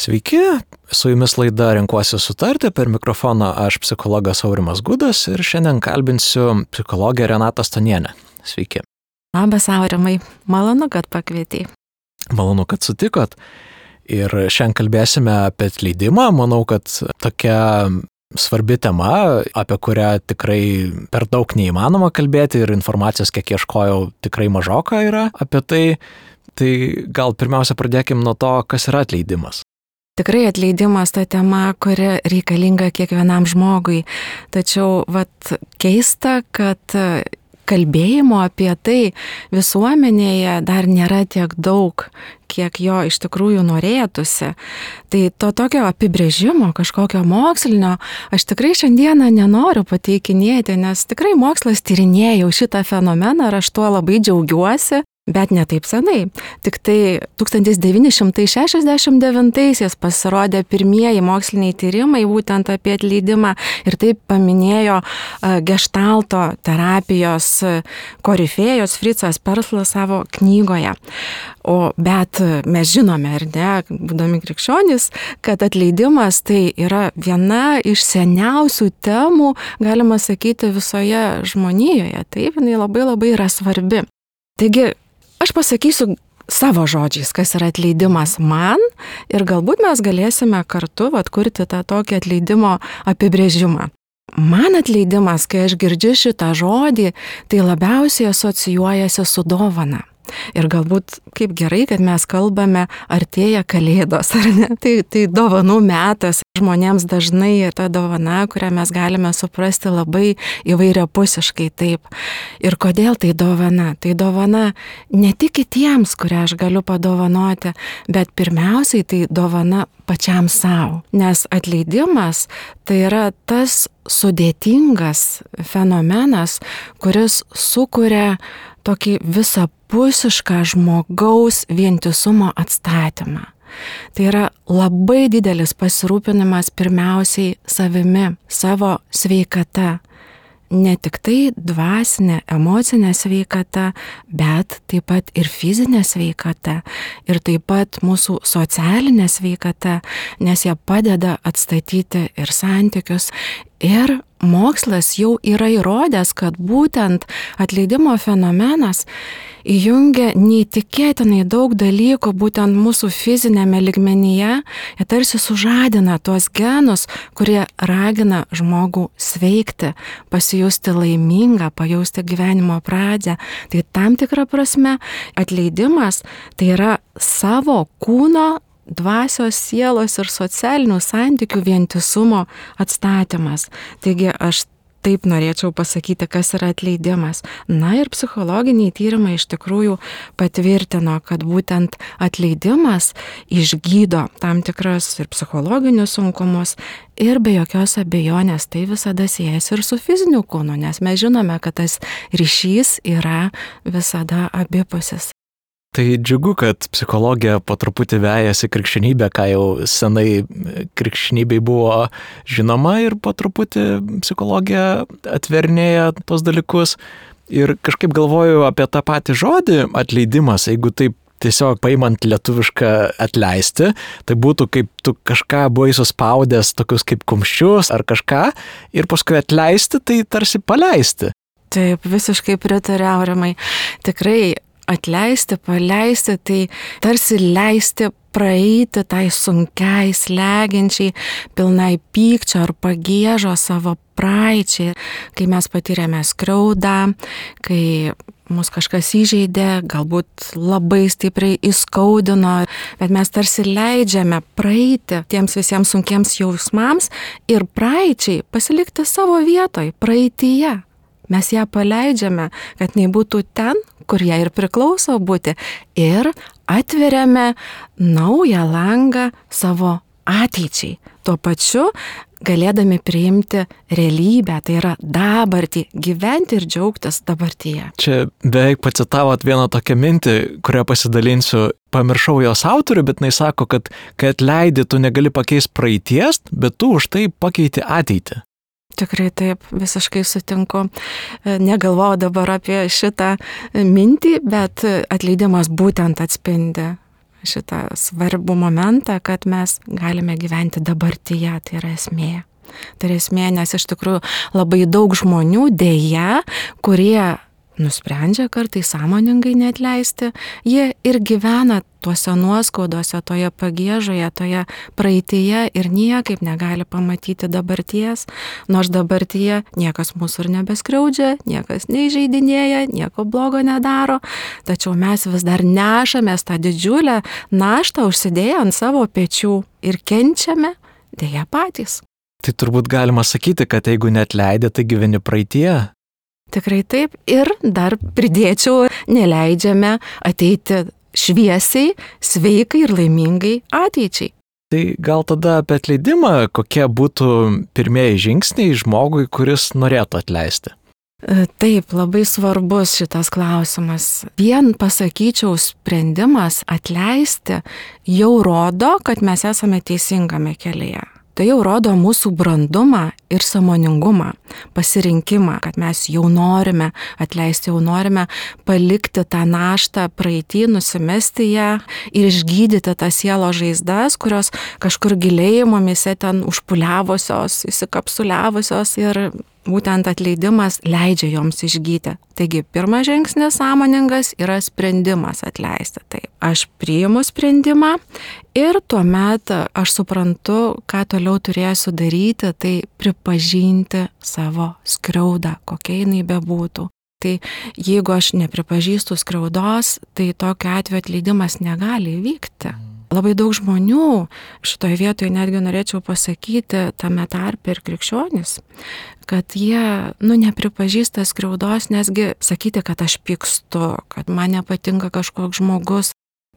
Sveiki, su jumis laida Renkuosi sutarti, per mikrofoną aš psichologas Aurimas Gudas ir šiandien kalbinsiu psichologę Renatą Stonienę. Sveiki. Labas Aurimai, malonu, kad pakvietei. Malonu, kad sutikot. Ir šiandien kalbėsime apie atleidimą. Manau, kad tokia svarbi tema, apie kurią tikrai per daug neįmanoma kalbėti ir informacijos, kiek ieškojau, tikrai mažoka yra apie tai. Tai gal pirmiausia pradėkim nuo to, kas yra atleidimas. Tikrai atleidimas ta tema, kuri reikalinga kiekvienam žmogui. Tačiau keista, kad kalbėjimo apie tai visuomenėje dar nėra tiek daug, kiek jo iš tikrųjų norėtųsi. Tai to tokio apibrėžimo, kažkokio mokslinio, aš tikrai šiandieną nenoriu pateikinėti, nes tikrai mokslas tyrinėja jau šitą fenomeną ir aš tuo labai džiaugiuosi. Bet ne taip senai. Tik tai 1969 pasirodė pirmieji moksliniai tyrimai būtent apie atleidimą ir taip paminėjo geštalto terapijos korifėjos Fritzas Perslas savo knygoje. Bet mes žinome, ar ne, būdami krikščionys, kad atleidimas tai yra viena iš seniausių temų, galima sakyti, visoje žmonijoje. Taip, jinai labai yra svarbi. Taigi, aš pasakysiu savo žodžiais, kas yra atleidimas man ir galbūt mes galėsime kartu kurti tą tokį atleidimo apibrėžimą. Man atleidimas, kai aš girdžiu šitą žodį, tai labiausiai asocijuojasi su dovana. Ir galbūt kaip gerai, kad mes kalbame, artėja Kalėdos, ar ne? Tai dovanų metas. Žmonėms dažnai ta dovana, kurią mes galime suprasti labai įvairiapusiškai taip. Ir kodėl tai dovana? Tai dovana ne tik kitiems, kurią aš galiu padovanoti, bet pirmiausiai tai dovana pačiam savo. Nes atleidimas tai yra tas sudėtingas fenomenas, kuris sukuria tokį visapusišką žmogaus vientisumo atstatymą. Tai yra labai didelis pasirūpinimas pirmiausiai savimi, savo sveikata. Ne tik tai dvasinė, emocinė sveikata, bet taip pat ir fizinė sveikata. Ir taip pat mūsų socialinė sveikata, nes jie padeda atstatyti ir santykius. Ir mokslas jau yra įrodęs, kad būtent atleidimo fenomenas įjungia neįtikėtinai daug dalykų būtent mūsų fizinėme lygmenyje. Jie tarsi sužadina tuos genus, kurie ragina žmogų sveikti, pasijusti laimingą, pajausti gyvenimo pradžią. Tai tam tikra prasme atleidimas tai yra savo kūno, dvasios, sielos ir socialinių santykių vientisumo atstatymas. Taigi aš taip norėčiau pasakyti, kas yra atleidimas. Na ir psichologiniai tyrimai iš tikrųjų patvirtino, kad būtent atleidimas išgydo tam tikras ir psichologinius sunkumus ir be jokios abejonės tai visada siejasi ir su fiziniu kūnu, nes mes žinome, kad tas ryšys yra visada abipusis. Tai džiugu, kad psichologija po truputį vejasi krikščionybę, ką jau senai krikščionybei buvo žinoma ir po truputį psichologija atvernėja tos dalykus. Ir kažkaip galvoju apie tą patį žodį atleidimas, jeigu taip tiesiog paimant lietuvišką atleisti, tai būtų kaip tu kažką buvai suspaudęs tokius kaip kumščius ar kažką ir paskui atleisti, tai tarsi paleisti. Taip, visiškai pritariu, Aurimai. Tikrai atleisti, paleisti, tai tarsi leisti praeiti tai sunkiai, slegiančiai, pilnai pykčio ar pagiežo savo praeičiai, kai mes patyrėme skriaudą, kai mus kažkas įžeidė, galbūt labai stipriai įskaudino, bet mes tarsi leidžiame praeiti tiems visiems sunkiems jausmams ir praeičiai pasilikti savo vietoj, praeityje. Mes ją paleidžiame, kad nebūtų ten, kur ją ir priklauso būti, ir atveriame naują langą savo ateičiai. Tuo pačiu galėdami priimti realybę, tai yra dabartį, gyventi ir džiaugtis dabartyje. Čia beveik pacitavot vieną tokią mintį, kurią pasidalinsiu. Pamiršau jos autorių, bet jinai sako, kad kai atleidi, tu negali pakeisti praeities, bet tu už tai pakeiti ateitį. Tikrai taip, visiškai sutinku. Negalvojau dabar apie šitą mintį, bet atleidimas būtent atspindi šitą svarbų momentą, kad mes galime gyventi dabartyje, tai yra esmė. Tai yra esmė, nes iš tikrųjų labai daug žmonių dėja, kurie nusprendžia kartais sąmoningai neatleisti, jie ir gyvena tuose nuoskaudose, toje pagiežoje, toje praeityje ir niekaip negali pamatyti dabarties, nors dabartyje niekas mūsų ir nebeskriaudžia, niekas neįžeidinėja, nieko blogo nedaro, tačiau mes vis dar nešamės tą didžiulę naštą užsidėję ant savo pečių ir kenčiame dėja patys. Tai turbūt galima sakyti, kad jeigu neatleidė, tai gyveni praeitie. Tikrai taip. Ir dar pridėčiau, neleidžiame ateiti šviesiai, sveikai ir laimingai ateičiai. Tai gal tada apie atleidimą, kokie būtų pirmieji žingsniai žmogui, kuris norėtų atleisti? Taip, labai svarbus šitas klausimas. Vien pasakyčiau, sprendimas atleisti jau rodo, kad mes esame teisingame kelyje. Tai jau rodo mūsų brandumą ir sąmoningumą, pasirinkimą, kad mes jau norime atleisti, jau norime palikti tą naštą praeitį, nusimesti ją ir išgydyti tas sielos žaizdas, kurios kažkur giliai mumyse ten užpuliavusios, įsikapsuliavusios ir būtent atleidimas leidžia joms išgyti. Taigi, pirmas žingsnis sąmoningas yra sprendimas atleisti. Tai aš priimu sprendimą ir tuomet aš suprantu, ką toliau turėsiu daryti, tai pripažinti savo skriaudą, kokia jinai bebūtų. Tai jeigu aš nepripažįstu skriaudos, tai tokiu atveju atleidimas negali įvykti. Labai daug žmonių, šitoje vietoje netgi norėčiau pasakyti, tame tarpe ir krikščionys, kad jie, nepripažįsta skriaudos, nesgi sakyti, kad aš pykstu, kad man nepatinka kažkoks žmogus.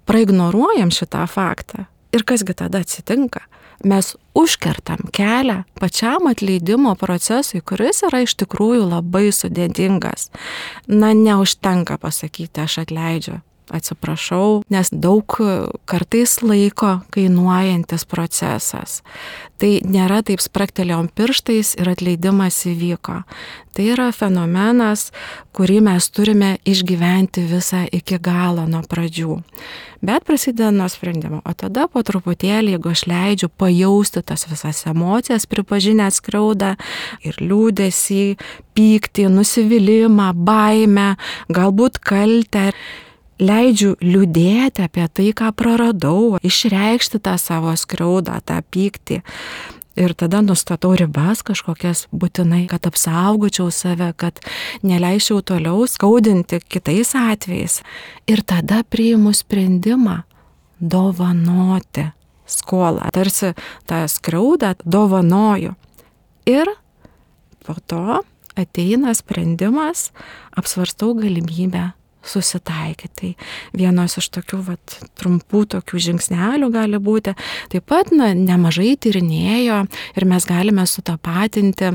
Praignoruojam šitą faktą. Ir kasgi tada atsitinka? Mes užkertam kelią pačiam atleidimo procesui, kuris yra iš tikrųjų labai sudėtingas. Neužtenka pasakyti, aš atleidžiu. Atsiprašau, nes daug kartais laiko kainuojantis procesas. Tai nėra taip spraktelėjom pirštais ir atleidimas įvyko. Tai yra fenomenas, kurį mes turime išgyventi visą iki galo nuo pradžių. Bet prasideda nuo sprendimo, o tada po truputėlį, jeigu aš leidžiu pajausti tas visas emocijas, pripažinę skriaudą ir liūdesį, pyktį, nusivylimą, baimę, galbūt kaltę, leidžiu liūdėti apie tai, ką praradau, išreikšti tą savo skriaudą, tą pyktį. Ir tada nustatau ribas kažkokias būtinai, kad apsaugočiau save, kad neleisčiau toliau skaudinti kitais atvejais. Ir tada priimu sprendimą dovanoti skolą. Tarsi tą skriaudą dovanoju. Ir po to ateina sprendimas, apsvarstau galimybę susitaikyti. Tai vienos iš tokių trumpų tokių žingsnelių gali būti. Taip pat nemažai tyrinėjo ir mes galime sutapatinti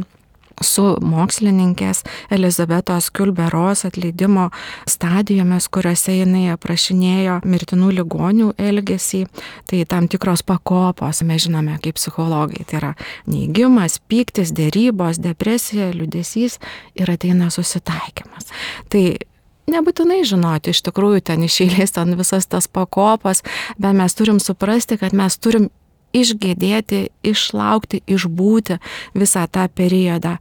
su mokslininkės Elizabetos Kübler-Ross atleidimo stadijomis, kuriuose jinai aprašinėjo mirtinų ligonių elgesį. Tai tam tikros pakopos, mes žinome kaip psichologai. Tai yra neigimas, pyktis, derybos, depresija, liūdesys ir ateina susitaikymas. Tai nebūtinai žinoti, iš tikrųjų ten iš eilės ten visas tas pakopas, bet mes turim suprasti, kad mes turim išgėdėti, išlaukti, išbūti visą tą periodą.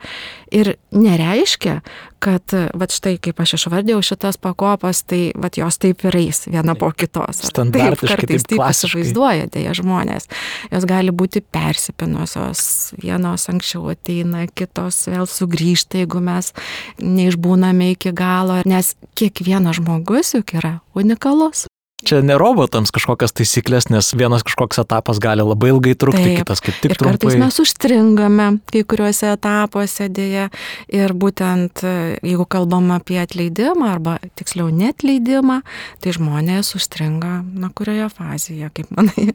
Ir nereiškia, kad štai kaip aš išvardėjau šitas pakopas, tai jos taip ir eis viena po kitos. Standartiškai, kartais taip įsivaizduoja dėja žmonės. Jos gali būti persipinusios, vienos anksčiau ateina, kitos vėl sugrįžta, jeigu mes neišbūname iki galo, nes kiekvienas žmogus juk yra unikalus. Čia ne robotams kažkokias taisyklės, nes vienas kažkoks etapas gali labai ilgai trukti, kitas kaip tik trumpai. Ir kartais mes užstringame kai kuriuose etapuose dėja. Ir būtent jeigu kalbam apie atleidimą arba tiksliau neatleidimą, tai žmonės užstringa, kurioje fazėje, kaip manai,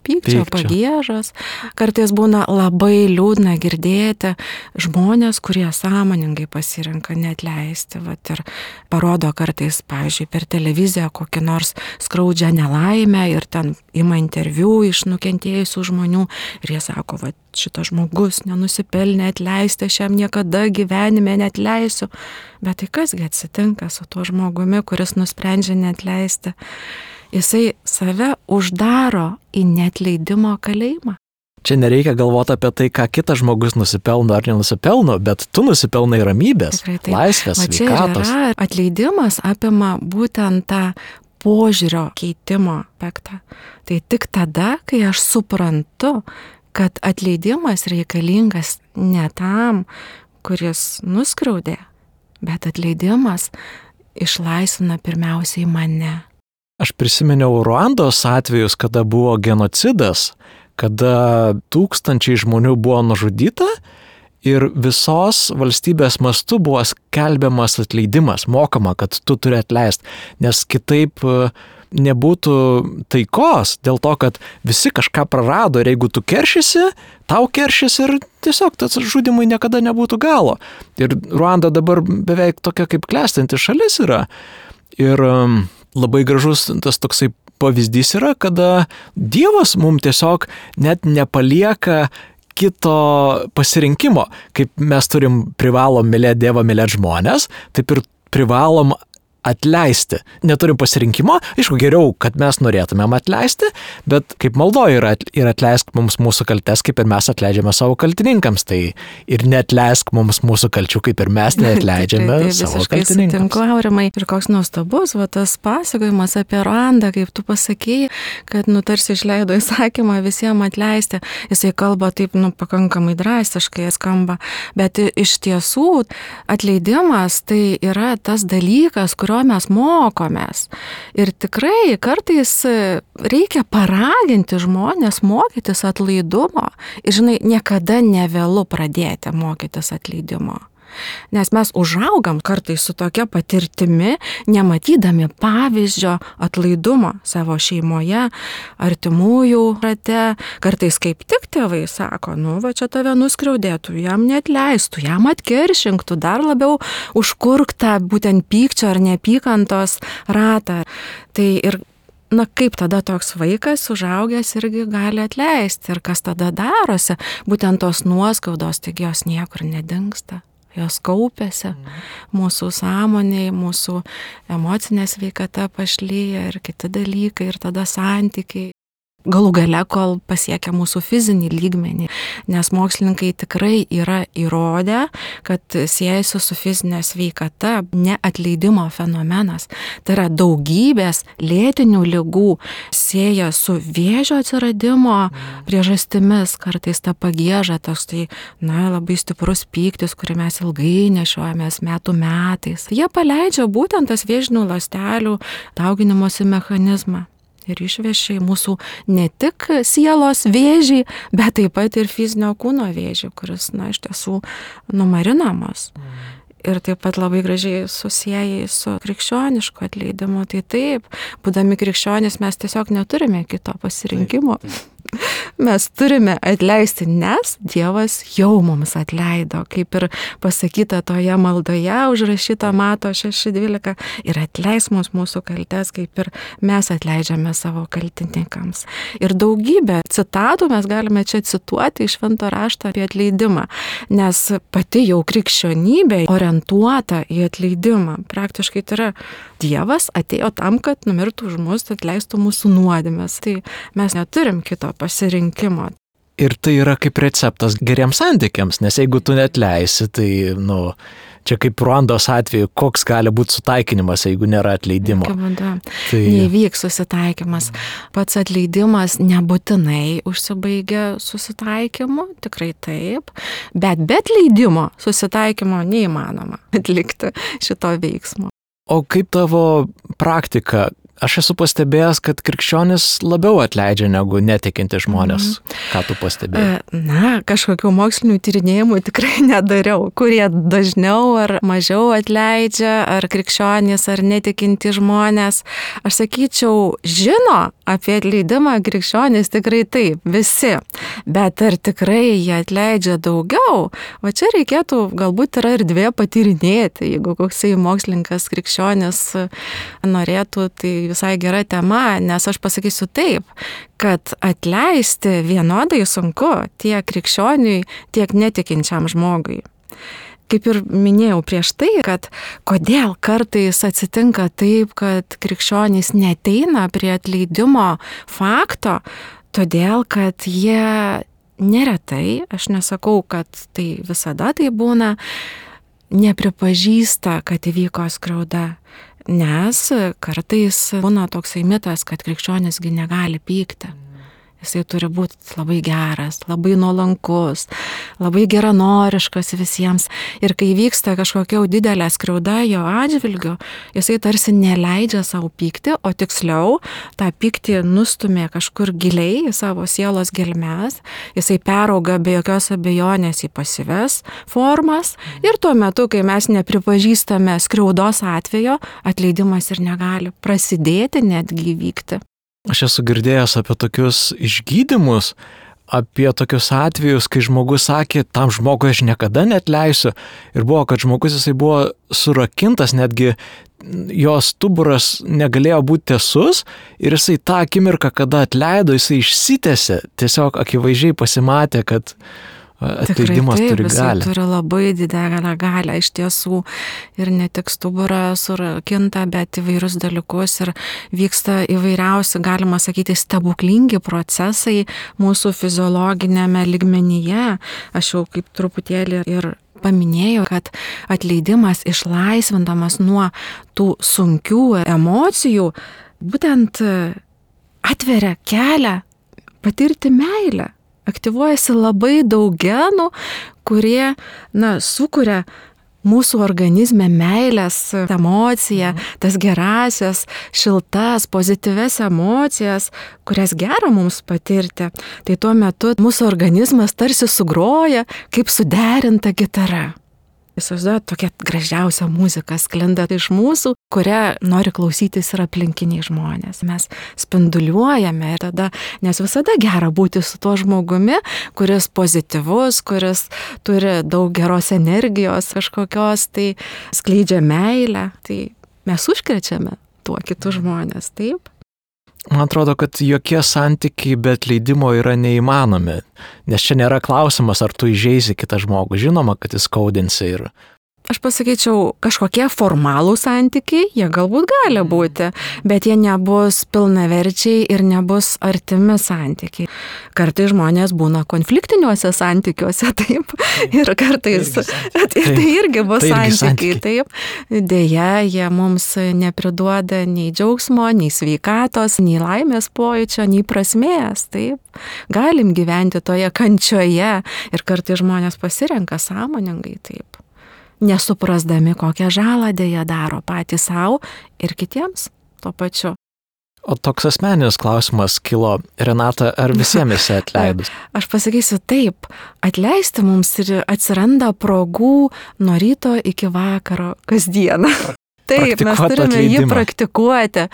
pykčio, pagiežos. Kartais būna labai liūdna girdėti žmonės, kurie sąmoningai pasirenka neatleisti. Ir parodo kartais, pavyzdžiui, per televiziją kokį nors skaudžią nelaimę ir ten ima interviu iš nukentėjusių žmonių ir jie sako, šitas žmogus nenusipelnė atleisti, aš jam niekada gyvenime neatleisiu. Bet tai kasgi atsitinka su tuo žmogumi, kuris nusprendžia neatleisti? jisai save uždaro į neatleidimo kalėjimą. Čia nereikia galvoti apie tai, ką kitas žmogus nusipelno ar nenusipelno, bet tu nusipelnai ramybės, laisvės, sveikatos. Atleidimas apima būtent tą požiūrio keitimo aspektą. Tai tik tada, kai aš suprantu, kad atleidimas reikalingas ne tam, kuris nuskriaudė, bet atleidimas išlaisvina pirmiausiai mane. Aš prisiminiau Ruandos atvejus, kada buvo genocidas, kada tūkstančiai žmonių buvo nužudyta ir visos valstybės mastu buvo skelbiamas atleidimas, mokama, kad tu turi atleisti, nes kitaip nebūtų taikos, dėl to, kad visi kažką prarado ir jeigu tu keršysi, tau keršys ir tiesiog tas žudimui niekada nebūtų galo. Ir Ruanda dabar beveik tokia kaip klestinti šalis yra. Ir labai gražus tas toksai pavyzdys yra, kada Dievas mums tiesiog net nepalieka kito pasirinkimo. Kaip mes privalom mylėti Dievą, mylėti žmonės, taip ir privalom atleisti. Neturim pasirinkimo, aišku, geriau, kad mes norėtumėm atleisti, bet kaip maldoje yra ir atleisk mums mūsų kaltes, kaip ir mes atleidžiame savo kaltininkams, tai ir neatleisk mums mūsų kalčių, kaip ir mes neatleidžiame savo kaltininkams. Sutinku, Aurimai, ir koks nuostabus tas pasakojimas apie Ruandą, kaip tu pasakėjai, kad tarsi išleido įsakymą visiems atleisti. Jisai kalba taip, pakankamai drastiškai skamba, bet iš tiesų atleidimas tai yra tas dalykas, kurio mes mokomės. Ir tikrai kartais reikia paraginti žmonės mokytis atlaidumo. Ir žinai, niekada nevėlu pradėti mokytis atleidimo. Nes mes užaugam kartais su tokia patirtimi, nematydami pavyzdžio atlaidumo savo šeimoje, artimųjų rate. Kartais kaip tik tėvai sako, va čia tave nuskriaudėtų, jam neatleistų, jam atkeršinktų, dar labiau užkurktą būtent pykčio ar neapykantos ratą. Tai ir kaip tada toks vaikas užaugęs irgi gali atleisti ir kas tada darosi, būtent tos nuoskaudos, taigi jos niekur nedingsta. Jos kaupiasi, mūsų sąmonėje, mūsų emocinė sveikata pašlyja ir kiti dalykai, ir tada santykiai. Galų gale, kol pasiekia mūsų fizinį lygmenį, nes mokslininkai tikrai yra įrodę, kad siejasi su fizinė sveikata neatleidimo fenomenas. Tai yra daugybės lėtinių ligų sieja su vėžio atsiradimo priežastimis, kartais ta pagieža, toks tai, labai stiprus pyktis, kurį mes ilgai nešiojamės metų metais. Jie paleidžia būtent tas vėžinių ląstelių dauginimosi mechanizmą. Ir išvešia mūsų ne tik sielos vėžį, bet taip pat ir fizinio kūno vėžį, kuris, iš tiesų numarinamas. Ir taip pat labai gražiai susieja su krikščionišku atleidimu. Tai taip, būdami krikščionys mes tiesiog neturime kito pasirinkimo. Mes turime atleisti, nes Dievas jau mums atleido, kaip ir pasakyta toje maldoje, užrašyta Mato 6:12, ir atleis mums mūsų kaltes, kaip ir mes atleidžiame savo kaltininkams. Ir daugybę citatų mes galime čia cituoti iš Švento rašto apie atleidimą, nes pati jau krikščionybė orientuota į atleidimą. Praktiškai tai yra Dievas atėjo tam, kad numirtų už mus, atleistų mūsų nuodėmes. Tai mes neturim kito pasirinkimo. Ir tai yra kaip receptas geriems santykiams, nes jeigu tu neatleisi, tai, čia kaip Ruandos atveju, koks gali būti sutaikinimas, jeigu nėra atleidimo. Neįvyks susitaikymas. Pats atleidimas nebūtinai užsibaigia susitaikymu, tikrai taip, bet be atleidimo susitaikymo neįmanoma atlikti šito veiksmo. O kaip tavo praktika? Aš esu pastebėjęs, kad krikščionis labiau atleidžia negu netikinti žmonės. Ką tu pastebėjai? Kažkokių mokslinių tyrinėjimų tikrai nedariau, kurie dažniau ar mažiau atleidžia, ar krikščionys, ar netikinti žmonės. Aš sakyčiau, žino apie atleidimą krikščionys tikrai taip, visi. Bet ar tikrai jie atleidžia daugiau? Va čia reikėtų galbūt yra erdvė patyrinėti, jeigu koksai mokslininkas krikščionis norėtų, tai visai gera tema, nes aš pasakysiu taip, kad atleisti vienodai sunku tiek krikščioniui, tiek netikinčiam žmogui. kaip ir minėjau prieš tai, kad kodėl kartais atsitinka taip, kad krikščionys neateina prie atleidimo fakto, todėl kad jie neretai, aš nesakau, kad tai visada tai būna, nepripažįsta, kad įvyko skriauda. Nes kartais būna toksai mitas, kad krikščionisgi negali pykti. Jisai turi būti labai geras, labai nuolankus, labai geranoriškas visiems. Ir kai vyksta kažkokia didelė skriauda jo atžvilgiu, jisai tarsi neleidžia savo pykti, o tiksliau tą pyktį nustumė kažkur giliai į savo sielos gelmes. Jisai perauga be jokios abejonės į pasyves formas. Ir tuo metu, kai mes nepripažįstame skriaudos atvejo, atleidimas ir negali prasidėti, netgi įvykti. Aš esu girdėjęs apie tokius išgydymus, apie tokius atvejus, kai žmogus sakė, tam žmogui aš niekada neatleisiu. Ir buvo, kad žmogus jisai buvo surakintas, netgi jos stuburas negalėjo būti tiesus ir jisai tą akimirką, kada atleido, jisai išsitęsė, tiesiog akivaizdžiai pasimatė, kad atleidimas turi galę. Turi labai didelę galę iš tiesų ir ne tik stuburą surakinta, bet įvairius dalykus ir vyksta įvairiausi, galima sakyti, stebuklingi procesai mūsų fiziologinėme lygmenyje. Aš jau kaip truputėlį ir paminėjau, kad atleidimas išlaisvindamas nuo tų sunkių emocijų būtent atveria kelią patirti meilę. Aktyvuojasi labai daug genų, kurie sukuria mūsų organizme meilės emociją, tas gerasias, šiltas, pozityves emocijas, kurias gera mums patirti. Tai tuo metu mūsų organizmas tarsi sugroja kaip suderinta gitara. Įsivaizduojat, tokia gražiausia muzika sklinda iš mūsų, kurią nori klausytis ir aplinkiniai žmonės. Mes spinduliuojame ir tada, nes visada gera būti su tuo žmogumi, kuris pozityvus, kuris turi daug geros energijos kažkokios, tai skleidžia meilę, tai mes užkrečiame tuo kitus žmonės, taip? Man atrodo, kad jokie santykiai be atleidimo yra neįmanomi, nes čia nėra klausimas, ar tu įžeisi kitą žmogų. Žinoma, kad jis skaudinsi ir... Aš pasakyčiau, kažkokie formalų santykiai, jie galbūt gali būti, bet jie nebus pilnaverčiai ir nebus artimi santykiai. Kartais žmonės būna konfliktiniuose santykiuose, taip, ir kartais tai irgi bus santykiai, taip. Deja, jie mums nepriduoda nei džiaugsmo, nei sveikatos, nei laimės pojūčio, nei prasmės, taip. Galim gyventi toje kančioje ir kartais žmonės pasirenka sąmoningai, taip. Nesuprasdami, kokią žalą dėja daro patys savo ir kitiems tuo pačiu. O toks asmeninis klausimas kilo, Renata, ar visiems esi atleidus? Aš pasakysiu taip, atleisti mums ir atsiranda progų nuo ryto iki vakaro kasdieną. Taip, mes turime jį praktikuoti.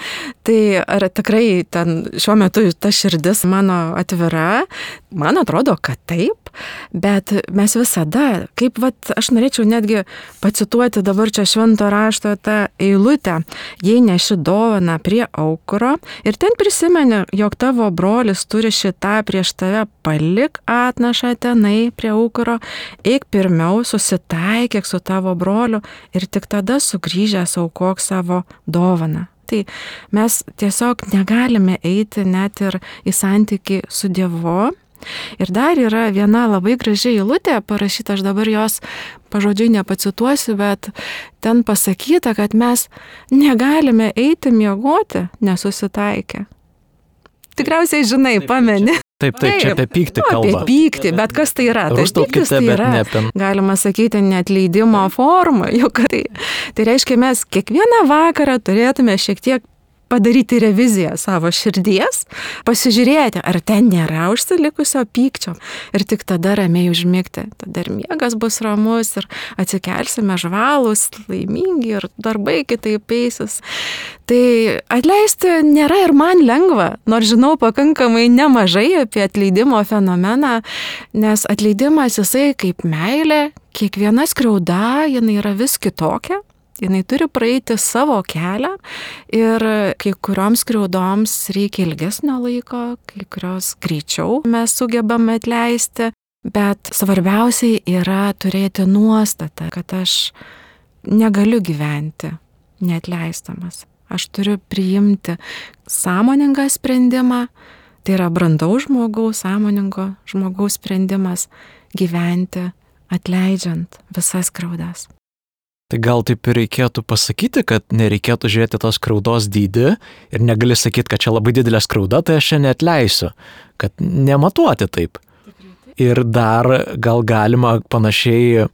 Tai ar tikrai ten šiuo metu ta širdis mano atvira? Man atrodo, kad taip, bet mes visada, kaip aš norėčiau netgi pacituoti dabar čia švento rašto tą eilutę, jei neši dovaną prie aukuro ir ten prisimeni, jog tavo brolis turi šitą prieš tave, palik atnašą tenai prie aukuro, eik pirmiau, susitaikyk su tavo broliu ir tik tada sugrįžęs aukok savo dovaną. Tai mes tiesiog negalime eiti net ir į santykį su Dievu. Ir dar yra viena labai graži eilutė parašyta, aš dabar jos pažodžiui nepacituosiu, bet ten pasakyta, kad mes negalime eiti miegoti nesusitaikę. Tikriausiai žinai, pameni. Taip, čia apie pyktį kalba. Apie pyktį, bet kas tai yra? Tai pyktis tai yra, galima sakyti, neatleidimo forma. Juk tai reiškia, mes kiekvieną vakarą turėtume šiek tiek padaryti reviziją savo širdies, pasižiūrėti, ar ten nėra užsilikusio pykčio ir tik tada ramiai užmigti. Tada ir miegas bus ramus ir atsikelsime žvalūs, laimingi ir darbai kitaip eisis. Tai atleisti nėra ir man lengva, nors žinau pakankamai nemažai apie atleidimo fenomeną, nes atleidimas jisai kaip meilė, kiekviena skriauda, jinai yra vis kitokia. Jinai turi praeiti savo kelią ir kai kurioms skriaudoms reikia ilgesnio laiko, kai kurios greičiau mes sugebame atleisti. Bet svarbiausiai yra turėti nuostatą, kad aš negaliu gyventi neatleistamas. Aš turiu priimti sąmoningą sprendimą, tai yra brandaus žmogaus, sąmoningo žmogaus sprendimas gyventi atleidžiant visas skriaudas. Tai gal taip ir reikėtų pasakyti, kad nereikėtų žiūrėti tos skriaudos dydį ir negali sakyti, kad čia labai didelė skriauda, tai aš čia neatleisiu, kad nematuoti taip. Ir dar gal galima panašiai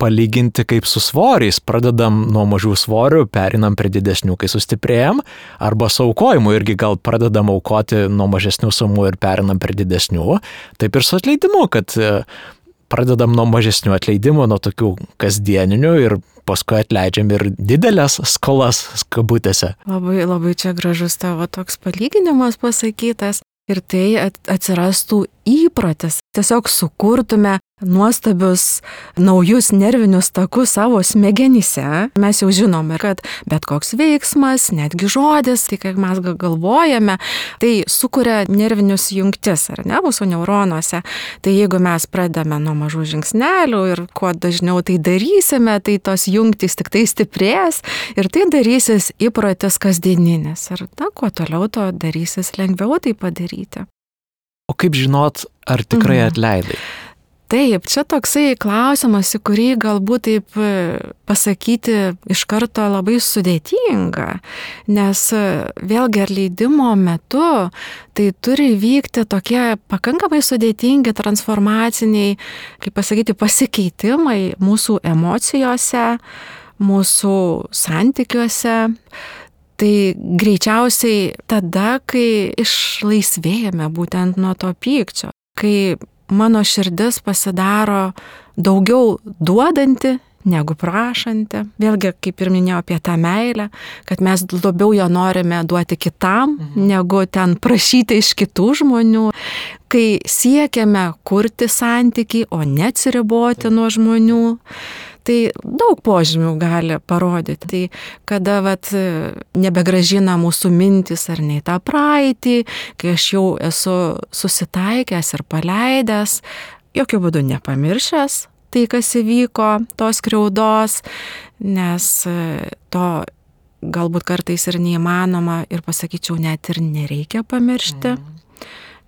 palyginti kaip su svoriais. Pradedam nuo mažų svorių, perinam prie didesnių, kai sustiprėjam, arba su aukojimu irgi gal pradedam aukoti nuo mažesnių sumų ir perinam prie didesnių. Taip ir su atleidimu, kad pradedam nuo mažesnių atleidimų, nuo tokių kasdieninių ir paskui atleidžiam ir didelės skolas kabutėse. Labai, labai čia gražus tavo toks palyginimas pasakytas. Ir tai atsirastų įprotis. Tiesiog sukurtume nuostabius naujus nervinius takus savo smegenyse. Mes jau žinome, kad bet koks veiksmas, netgi žodis, tai kaip mes galvojame, tai sukuria nervinius jungtis, ar ne, mūsų neuronuose. Tai jeigu mes pradame nuo mažų žingsnelių ir kuo dažniau tai darysime, tai tos jungtys tik tai stiprės ir tai darysis įprotis kasdieninis. Ir kuo toliau, to darysis lengviau tai padaryti. O kaip žinot, ar tikrai atleidai? Taip, čia toksai klausimas, į kurį galbūt taip pasakyti iš karto labai sudėtinga, nes vėlgi atleidimo metu tai turi vykti tokie pakankamai sudėtingi transformaciniai, kaip pasakyti, pasikeitimai mūsų emocijose, mūsų santykiuose. Tai greičiausiai tada, kai išlaisvėjame būtent nuo to pykčio, kai mano širdis pasidaro daugiau duodanti negu prašanti. Vėlgi, kaip ir minėjau apie tą meilę, kad mes labiau jo norime duoti kitam, negu ten prašyti iš kitų žmonių. Kai siekiame kurti santykį, o neatsiriboti nuo žmonių, tai daug požymių gali parodyti. Tai kada nebegražina mūsų mintis ar ne į tą praeitį, kai aš jau esu susitaikęs ir paleidęs, jokių būdų nepamiršęs tai, kas įvyko, tos skriaudos, nes to galbūt kartais ir neįmanoma ir pasakyčiau, net ir nereikia pamiršti,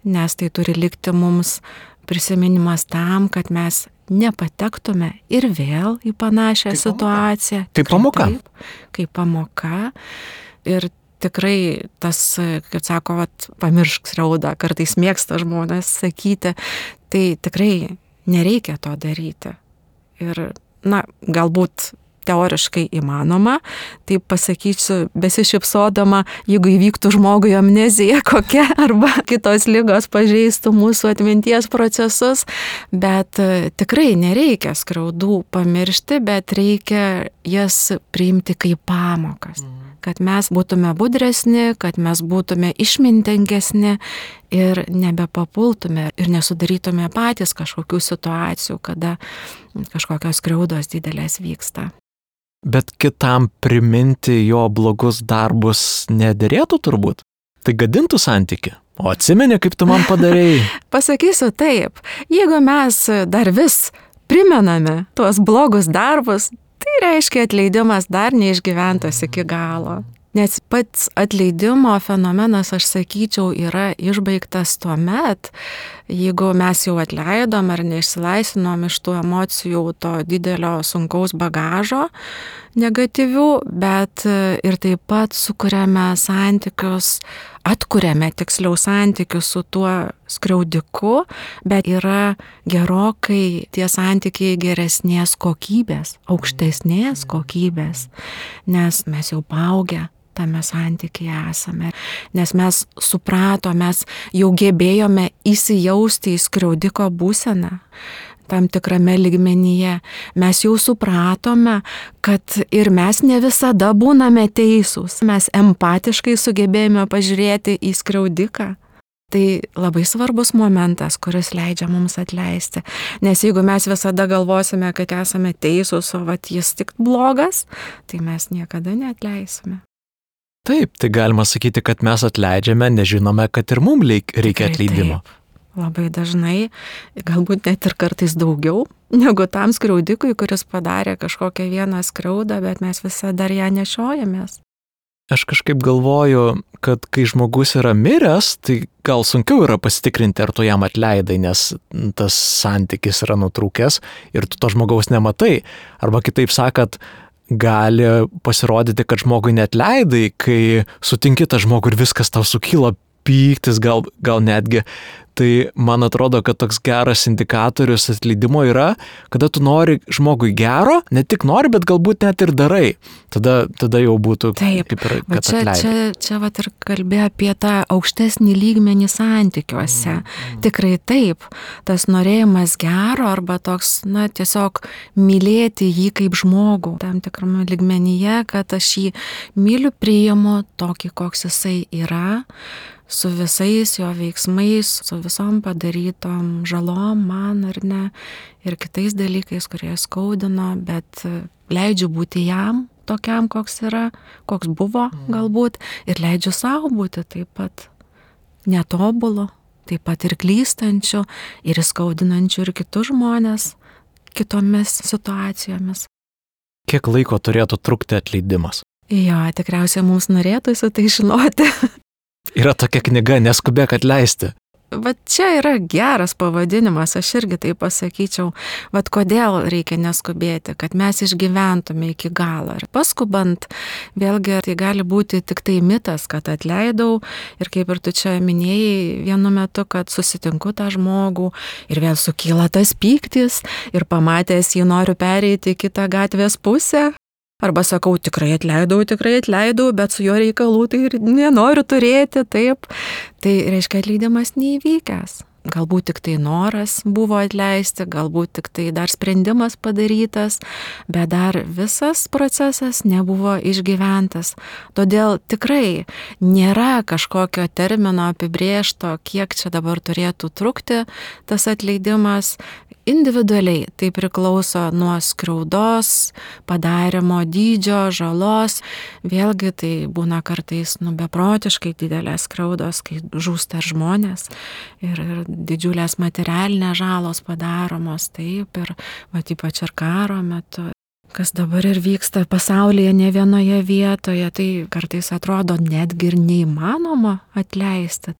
nes tai turi likti mums prisiminimas tam, kad mes nepatektume ir vėl į panašią situaciją. Kaip pamoka. Kaip pamoka. Ir tikrai tas, kaip sako, pamiršk skriaudą, kartais mėgsta žmonės sakyti, tai tikrai nereikia to daryti. Ir, galbūt teoriškai įmanoma, tai pasakysiu besišypsodama, jeigu įvyktų žmogui amnezija kokia arba kitos ligos pažeistų mūsų atminties procesus, bet tikrai nereikia skriaudų pamiršti, bet reikia jas priimti kaip pamokas, kad mes būtume budresni, kad mes būtume išmintingesni ir nebepapultume ir nesudarytume patys kažkokių situacijų, kada kažkokios skriaudos didelės vyksta. Bet kitam priminti jo blogus darbus nederėtų turbūt. Tai gadintų santyki. O atsimeni, kaip tu man padarėjai? Pasakysiu taip, jeigu mes dar vis primename tuos blogus darbus, tai reiškia atleidimas dar neišgyventas iki galo. Nes pats atleidimo fenomenas, aš sakyčiau, yra išbaigtas tuomet, jeigu mes jau atleidom ar neišsilaisvinom iš tų emocijų, to didelio sunkaus bagažo negatyvių, bet ir taip pat sukuriame santykius, atkuriame tiksliau santykius su tuo skriaudiku, bet yra gerokai tie santykiai geresnės kokybės, aukštesnės kokybės, nes mes jau paaugę tame santykyje esame, nes mes supratome, mes jau gebėjome įsijausti į skriaudiko būseną tam tikrame lygmenyje. Mes jau supratome, kad ir mes ne visada būname teisūs. Mes empatiškai sugebėjome pažiūrėti į skriaudiką. Tai labai svarbus momentas, kuris leidžia mums atleisti. Nes jeigu mes visada galvosime, kad esame teisūs, o jis tik blogas, tai mes niekada neatleisime. Taip, tai galima sakyti, kad mes atleidžiame, nežinome, kad ir mums reikia atleidimo. Labai dažnai, galbūt net ir kartais daugiau, negu tam skriaudikui, kuris padarė kažkokią vieną skriaudą, bet mes visada dar ją nešiojamės. Aš kažkaip galvoju, kad kai žmogus yra miręs, tai gal sunkiau yra pasitikrinti, ar tu jam atleidai, nes tas santykis yra nutrūkęs ir tu to žmogaus nematai. Arba kitaip sakant, gali pasirodyti, kad žmogui neatleidai, kai sutinki tą žmogų ir viskas tau sukyla, pyktis gal netgi. Tai man atrodo, kad toks geras indikatorius atleidimo yra, kada tu nori žmogui gero, ne tik nori, bet galbūt net ir darai. Tada jau būtų taip, kaip ir, kad atleidai. Čia vat ir kalbė apie tą aukštesnį lygmenį santykiuose. Tikrai taip, tas norėjimas gero arba toks, tiesiog mylėti jį kaip žmogų tam tikrame lygmenyje, kad aš jį myliu, priimu tokį, koks jisai yra, su visais jo veiksmais, su visom padarytom žalom man ar ne, ir kitais dalykais, kurie skaudino, bet leidžiu būti jam tokiam, koks yra, koks buvo galbūt, ir leidžiu savo būti taip pat netobulu, taip pat ir klystančiu, ir įskaudinančiu ir kitus žmonės kitomis situacijomis. Kiek laiko turėtų trukti atleidimas? Jo, tikriausiai mums norėtųsi tai žinoti. Yra tokia knyga Neskubėk atleisti. Vat čia yra geras pavadinimas, aš irgi tai pasakyčiau. Vat kodėl reikia neskubėti, kad mes išgyventume iki galo. Ir paskubant, vėlgi tai gali būti tik tai mitas, kad atleidau ir kaip ir tu čia minėjai vienu metu, kad susitinku tą žmogų ir vėl sukyla tas pyktis ir pamatęs jį noriu pereiti į kitą gatvės pusę. Arba sakau, tikrai atleidau, bet su jo reikalų tai ir nenoriu turėti, taip. Tai reiškia, atleidimas neįvykęs. Galbūt tik tai noras buvo atleisti, galbūt tik tai dar sprendimas padarytas, bet dar visas procesas nebuvo išgyventas. Todėl tikrai nėra kažkokio termino apibrėžto, kiek čia dabar turėtų trukti tas atleidimas. Individualiai tai priklauso nuo skriaudos, padarimo dydžio, žalos. Vėlgi tai būna kartais beprotiškai didelės skriaudos, kai žūsta žmonės ir didžiulės materialinės žalos padaromos, taip, ir ypač ir karo metu. Kas dabar ir vyksta pasaulyje ne vienoje vietoje, tai kartais atrodo netgi ir neįmanoma atleisti.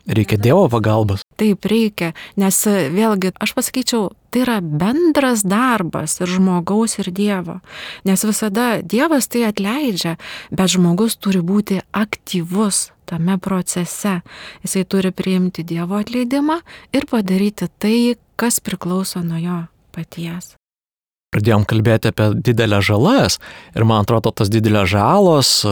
Reikia Dievo pagalbos. Taip, reikia, nes vėlgi, aš pasakyčiau, tai yra bendras darbas ir žmogaus ir Dievo. Nes visada Dievas tai atleidžia, bet žmogus turi būti aktyvus tame procese. Jisai turi priimti Dievo atleidimą ir padaryti tai, kas priklauso nuo jo paties. Pradėjom kalbėti apie didelės žalas ir man atrodo, tas didelės žalos,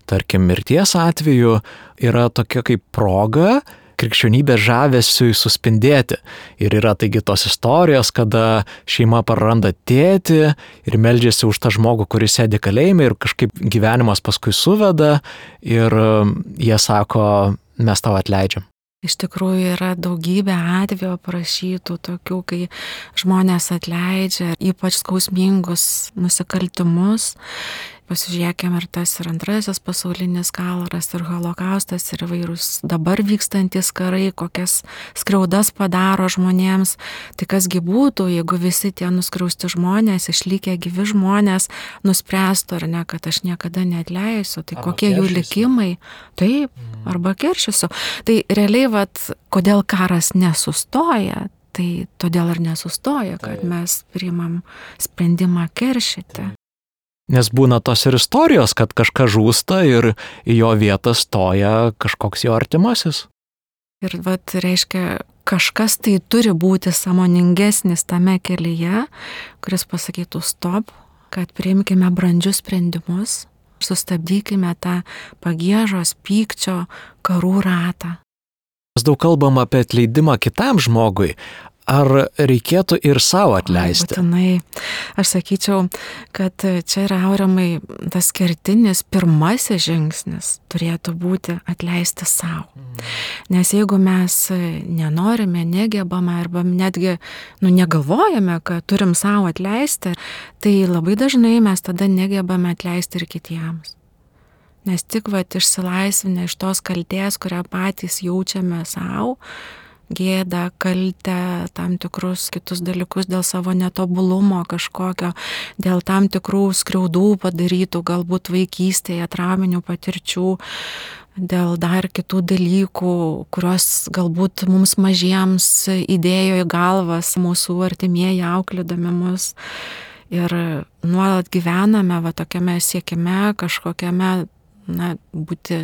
tarkim, mirties atveju, yra tokia kaip proga krikščionybės žavesiui suspindėti. Ir yra taigi tos istorijos, kada šeima praranda tėtį ir meldžiasi už tą žmogų, kuris sėdi kalėjime ir kažkaip gyvenimas paskui suveda ir jie sako, mes tau atleidžiam. Iš tikrųjų yra daugybė atvejų aprašytų tokių, kai žmonės atleidžia ypač skausmingus nusikaltimus. Pasižiūrėkime ir tas ir antrasis pasaulinis karas, ir holokaustas, ir įvairūs dabar vykstantis karai, kokias skriaudas padaro žmonėms. Tai kasgi būtų, jeigu visi tie nuskriausti žmonės, išlikę gyvi žmonės, nuspręstų ar ne, kad aš niekada neatleisiu. Tai arba kokie jų likimai? Taip, arba keršysiu. Tai realiai, kodėl karas nesustoja, tai todėl ir nesustoja, kad mes priimam sprendimą keršyti. Nes būna tos ir istorijos, kad kažkas žūsta ir į jo vietą stoja kažkoks jo artimasis. Ir reiškia, kažkas tai turi būti sąmoningesnis tame kelyje, kuris pasakytų stop, kad priimkime brandžius sprendimus, sustabdykime tą pagiežos, pykčio, karų ratą. Mes daug kalbam apie atleidimą kitam žmogui. Ar reikėtų ir savo atleisti? Būtinai. Aš sakyčiau, kad čia yra, Aurimai, tas kertinis pirmasis žingsnis turėtų būti atleisti savo. Nes jeigu mes nenorime, negebame arba netgi negalvojame, kad turim savo atleisti, tai labai dažnai mes tada negebame atleisti ir kitiems. Nes tik išsilaisvinę iš tos kaltės, kurią patys jaučiame savo, gėdą, kaltę, tam tikrus kitus dalykus dėl savo netobulumo kažkokio, dėl tam tikrų skriaudų padarytų galbūt vaikystėje, trauminių patirčių, dėl dar kitų dalykų, kurios galbūt mums mažiems įdėjo į galvas mūsų artimieji auklėdami mus. Ir nuolat gyvename va tokiame siekime, kažkokiame, būti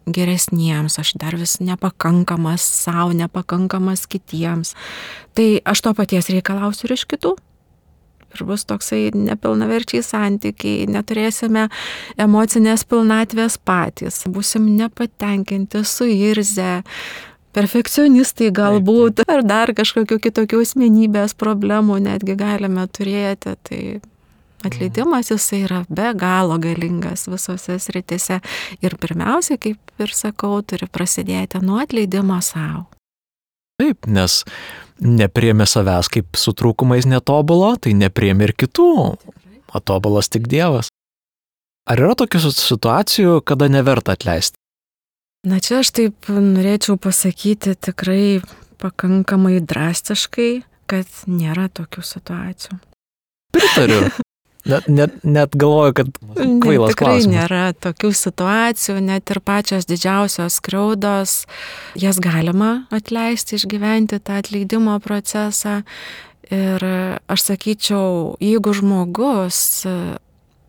geresniems, aš dar vis nepakankamas savo, nepakankamas kitiems. Tai aš to paties reikalausiu ir iš kitų. Ir bus toksai nepilnaverčiai santykiai, neturėsime emocinės pilnatvės patys, būsim nepatenkinti, suirzę, perfekcionistai galbūt, ar dar kažkokių kitokių asmenybės problemų netgi galime turėti. Tai atleidimas jisai yra be galo galingas visose sritise. Ir pirmiausia, kaip ir sakau, turi prasidėti nuo atleidimo savo. Taip, nes nepriėmė savęs kaip su trūkumais netobulo, tai nepriėmė ir kitų, o tobulas tik Dievas. Ar yra tokių situacijų, kada neverta atleisti? Na čia aš taip norėčiau pasakyti tikrai pakankamai drastiškai, kad nėra tokių situacijų. Pritariu. Net galvoju, kad kvailas tikrai klausimas. Nėra tokių situacijų, net ir pačios didžiausios skriaudos, jas galima atleisti, išgyventi tą atleidimo procesą. Ir aš sakyčiau, jeigu žmogus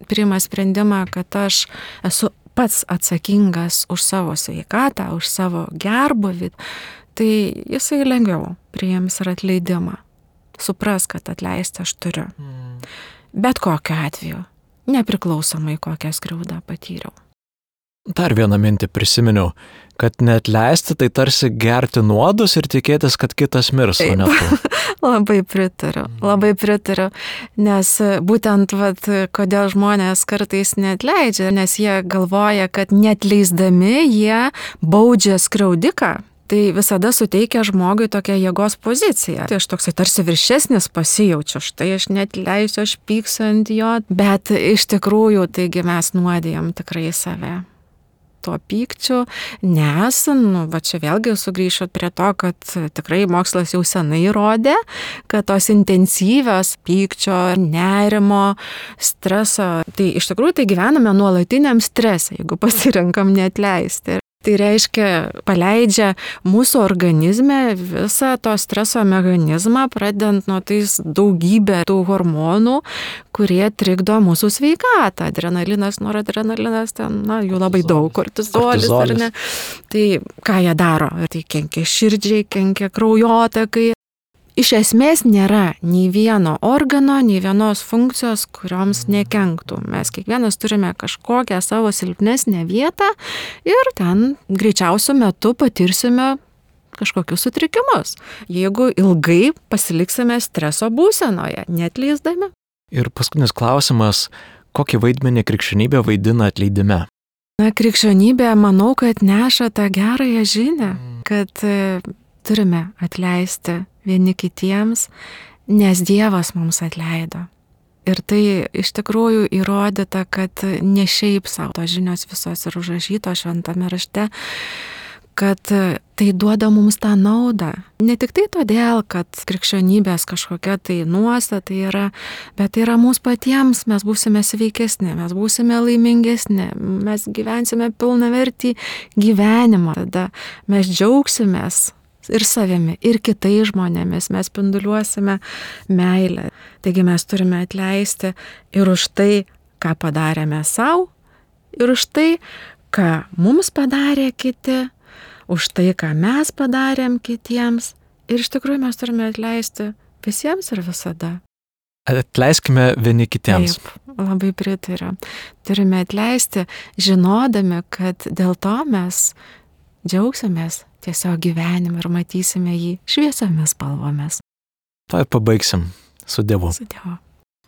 priima sprendimą, kad aš esu pats atsakingas už savo sveikatą, už savo gerbūvį, tai jisai lengviau priims ir atleidimą. Supras, kad atleisti aš turiu. Bet kokiu atveju, nepriklausomai kokią skriaudą patyriau. Dar vieną mintį prisiminiau, kad neatleisti tai tarsi gerti nuodus ir tikėtis, kad kitas mirs, o ne tu. Labai pritariu, nes būtent kodėl žmonės kartais neatleidžia, nes jie galvoja, kad neatleisdami jie baudžia skriaudiką. Tai visada suteikia žmogui tokią jėgos poziciją. Tai aš toksai tarsi viršesnis pasijaučiu, štai aš neatleisiu, aš pyksiu ant jo, bet iš tikrųjų taigi mes nuodijam tikrai save tuo pykčiu, nes, čia vėlgi sugrįšiu prie to, kad tikrai mokslas jau senai įrodė, kad tos intensyvios pykčio, nerimo, streso, tai iš tikrųjų tai gyvename nuolatiniam strese, jeigu pasirenkam neatleisti. Tai reiškia, paleidžia mūsų organizme visą to streso mechanizmą, pradedant nuo tais daugybę tų hormonų, kurie trikdo mūsų sveikatą. Adrenalinas, noradrenalinas, jų labai daug, kortizolis, ar ne. Tai ką jie daro? Tai kenkia širdžiai, kenkia kraujotakai. Iš esmės nėra nei vieno organo, nei vienos funkcijos, kurioms nekenktų. Mes kiekvienas turime kažkokią savo silpnesnę vietą ir ten greičiausiu metu patirsime kažkokius sutrikimus, jeigu ilgai pasiliksime streso būsenoje, neatleisdami. Ir paskutinis klausimas, kokį vaidmenį krikščionybė vaidina atleidime? Krikščionybė, manau, kad neša tą gerąją žinią, kad turime atleisti vieni kitiems, nes Dievas mums atleido. Ir tai iš tikrųjų įrodyta, kad ne šiaip savo tos žinios visos ir užrašytos šventame rašte, kad tai duoda mums tą naudą. Ne tik tai todėl, kad krikščionybės kažkokia tai nuostata yra, bet tai yra mūsų patiems, mes būsime sveikesni, mes būsime laimingesni, mes gyvensime pilnavertį gyvenimą, tada mes džiaugsimės ir savimi, ir kitais žmonėmis, mes spinduliuosime meilę. Taigi mes turime atleisti ir už tai, ką padarėme savo, ir už tai, ką mums padarė kiti, už tai, ką mes padarėm kitiems. Ir iš tikrųjų mes turime atleisti visiems ir visada. Atleiskime vieni kitiems. Taip, labai pritariu. Turime atleisti, žinodami, kad dėl to mes džiaugsimės tiesiog gyvenimą ir matysime jį šviesiomis spalvomis. To ir pabaigsim. Su Dievu. Su Dievu.